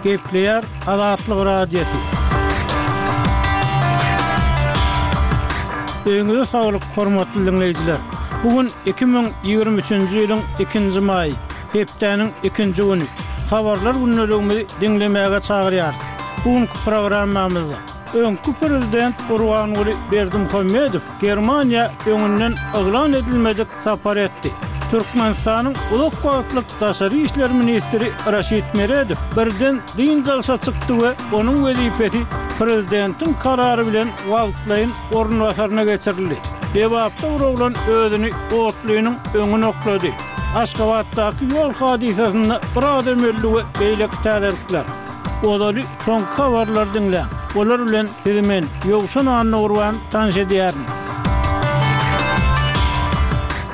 Gepleýär Azatlyk Radiosy. Öýüňize saglyk, hormatly diňleýjiler! Bu gün 2023-nji ýylyň ikinji maýy, hepdäniň ikinji güni. Habarlar gündeligimizi diňlemäge çagyrýarys. Bu günki programmamyzda öňki prezident Gurbanguly Berdimuhamedow Germaniýa öňünden yglan edilmedik sapar etdi. Türkmenistanyň uzak wagtlyk daşary işler ministri Raşid Meredow birden dynç alşa çykdy we onuň wezipesi prezidentiň karary bilen wagtlaýyn orunbasaryna geçirildi. Lebapda bir oglan özüni otlynyň öňüne oklady. Aşgabatdaky ýol hadysasynda bir adam öldi we beýleki täzelikler. Ozaly soňky habarlary diňläň. Olar bilen sizi men, Ýowşan Annagurban tanyş edýärin.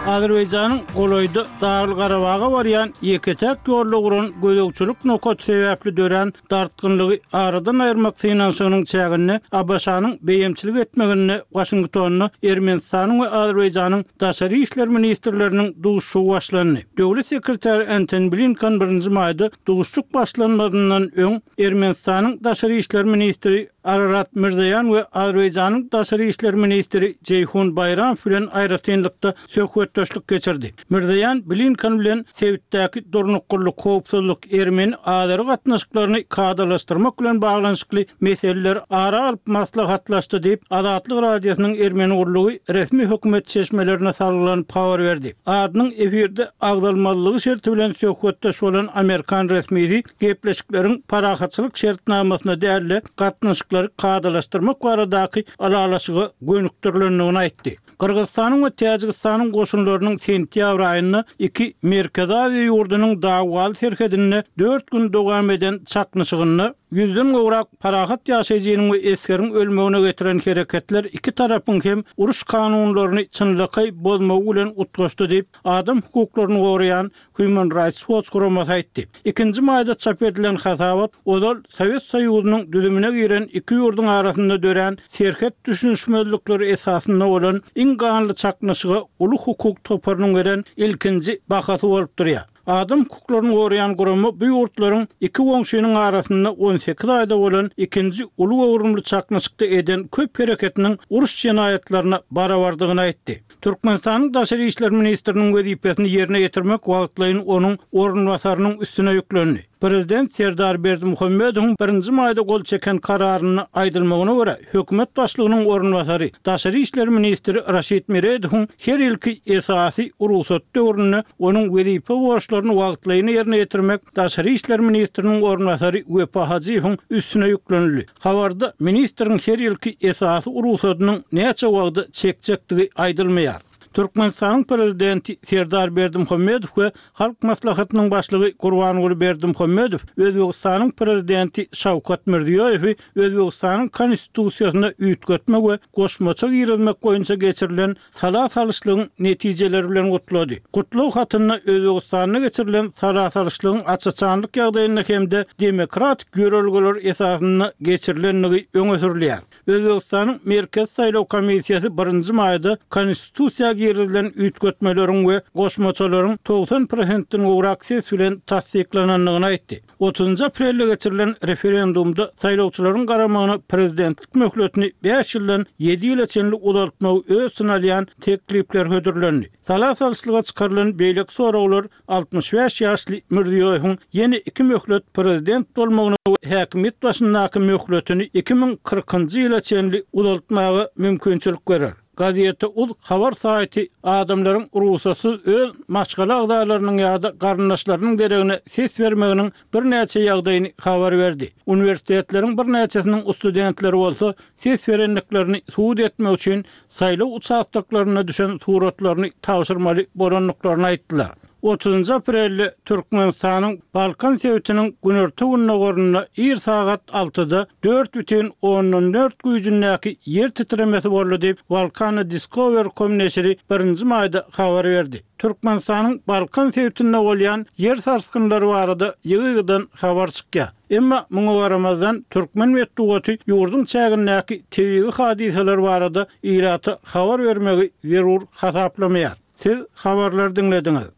Azerbaýjanyň golaýda Dagly-Garabaga barýan ýeke-täk ýolda guran gözegçilik nokaty sebäpli dörän dartgynlygy aradan aýyrmak synanyşygynyň çäginde ABŞ-nyň beýemçilik etmeginde Waşingtonda Ermenistanyň we Azerbaýjanyň daşary işler ministrleriniň duşuşygy başlandy. Döwlet sekretary Entoni Blinken birinji maýda Duşuşyk başlanmazyndan öň, Ermenistanyň daşary işler ministri Ararat Mirzoýan we Azerbaýjanyň daşary işler ministri Jeýhun Baýramow bilen aýratynlykda söhbetdeşlik geçirdi. Mirzoýan Blinken bilen sebitdäki durnuklylyk, howpsuzlyk, ermeni-azeri gatnaşyklaryny kadalaşdyrmak bilen baglanyşykly meseleleri ara alyp maslahatlaşdy diýip, Azatlyk Radiosynyň ermeni gullugy resmi hökümet çeşmelerine salgylanyp habar berdi. Adynyň efirde agzalmazlygy şerti bilen söhbetdeş bolan amerikan resmisi gepleşikleriň parahatçylyk şertnamasyna däl-de, gatnaşyklary kadalaşdyrmak baradaky ylalaşyga gönükdirilendigini aýtdy. Gyrgyzystanyň we Täjigistanyň goşunlarynyň sentýabr aýynda iki Merkezi Aziýa ýurdunyň dawaly serhedinde dört gün dowam eden çaknyşygynda ýüzden gowrak parahat ýaşaýjynyň we esgeriň ölmegine getiren hereketler iki tarapyň hem uruş kanunlaryny çynlakaý bozmagy bilen utgaşdy diýip, adam hukuklaryny goraýan Human Rights Watch guramasy aýtdy. Ikinji maýda çap edilen hasabat ozal Sowet Soýuzynyň düzümine giren iki ýurduň arasynda dörän serhet düşünişmezlikleri esasynda bolan iň ganly çaknyşyga uly hukuk toparynyň beren ilkinji bahasy bolup durýar. Adam hukuklaryny goraýan gurama bu ýurtlaryň iki goňşynyň arasynda 18 aýda bolan ikinji uly göwrümli çaknyşykda eden köp hereketiniň uruş jenaýatlaryna barabardygyny aýtdy. Türkmenistanyň daşary işler ministriniň wezipesini ýerine ýetirmek wagtlaýyn onuň orunbasarynyň üstüne ýüklendi. Prezident Serdar Berdimuhamedowyň birinji maýda gol çeken kararynda aýdylmagyna görä, hökümet başlygynyň orunbasary, daşary işler ministri Raşid Meredowyň her ýylky esasy rugsat döwründe onuň wezipe borçlaryny wagtlaýyn ýerine ýetirmek daşary işler ministriniň orunbasary Wepa Hajyýewiň üstüne ýüklenildi. Habarda ministriň her ýylky esasy rugsadynyň näçe wagta çekjekdigi aýdylmaýar. Türkmenistanyň Prezidenti Serdar Berdimuhamedow we Halk Maslahatynyň Başlygy Gurbanguly Berdimuhamedow Özbegistanyň Prezidenti Şawkat Mirziýoýewi Özbegistanyň Konstitusiýasyna üýtgetme we goşmaça girizmek boýunça geçirilen sala salyşlygyň netijeleri bilen gutlady. Gutlag hatynda Özbegistanda geçirilen sala salyşlygyň aç-açanlyk ýagdaýynda hem-de demokratik ýörelgeler esasynda geçirilendigi öňe sürülýär. Özbegistanyň Merkezi saýlaw komissiýasy birinji maýda Konstitusiýa girizilen üýtgetmeleriň we goşmaçalaryň 90 prosentden gowrak ses bilen tassyklanandygyny aýtdy. Otuzynjy aprelde geçirilen referendumda saýlawçylaryň garamagyna prezidentlik möhletini bäş ýyldan ýedi ýyla çenli uzaltmagy öz içine alýan teklipler hödürlendi. Sala salyşlyga çykarylan beýleki soraglar 65 ýaşly Mirziýoýewiň ýene iki möhlet prezident bolmagyna we häkimiýet başyndaky möhletini 2040-njy ýyla çenli uzaltmaga mümkinçilik berer. Gazeta uz habar saýty adamlaryň rugsatsyz öz maşgala agzalarynyň ýa-da garyndaşlarynyň deregine ses bermeginiň birnäçe ýagdaýyny habar berdi. Uniwersitetleriň birnäçesiniň studentleri bolsa ses berendiklerini subut etmek üçin saýlaw uçastoklarynda düşen suratlaryny tabşyrmaly bolandyklaryny aýtdylar. Otuzynjy aprelde Türkmenistanyň Balkan sebitiniň günorta-gündogarynda ir sagat altyda dört bütin ondan dört güýjündäki ýer titremesi boldy diýip, Volcano Discover. Com neşiri birinji maýda habar berdi. Türkmenistanyň Balkan sebitinde bolýan ýer sarsgynlary barada ýygy-ýygydan habar çykýar. Emma muňa garamazdan, türkmen metbugaty ýurduň çägindäki tebigy hadysalar barada ilata habar bermegi zerur hasaplamaýar. Siz habarlary diňlediňiz.